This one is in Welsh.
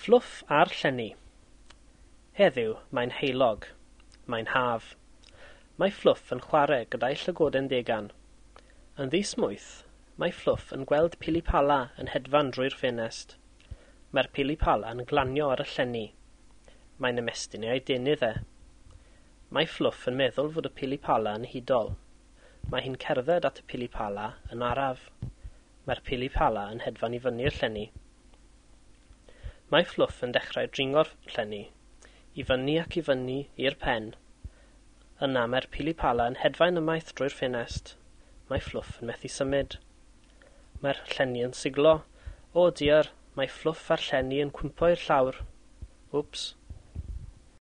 Fflwff a'r llenni. Heddiw, mae'n heulog. Mae'n haf. Mae Fflwff yn chwarae gyda'i llygoden degan. Yn ddismwyth, mae Fflwff yn gweld pili-pala yn hedfan drwy'r ffenest. Mae'r pili-pala yn glanio ar y llenni. Mae'n ymestyn ei adenydd e. Mae Fflwff yn meddwl fod y pili-pala yn hudol. Mae hi'n cerdded at y pili-pala yn araf. Mae'r pili-pala yn hedfan i fyny'r llenni. Mae Fflwff yn dechrau dringo'r llenni, i fyny ac i fyny i'r pen. Yna mae'r pili-pala yn hedfan ymaith drwy'r ffenest. Mae Fflwff yn methu symud. Mae'r llenni yn siglo. O diar, mae Fflwff a'r llenni yn cwympo i'r llawr. Wps.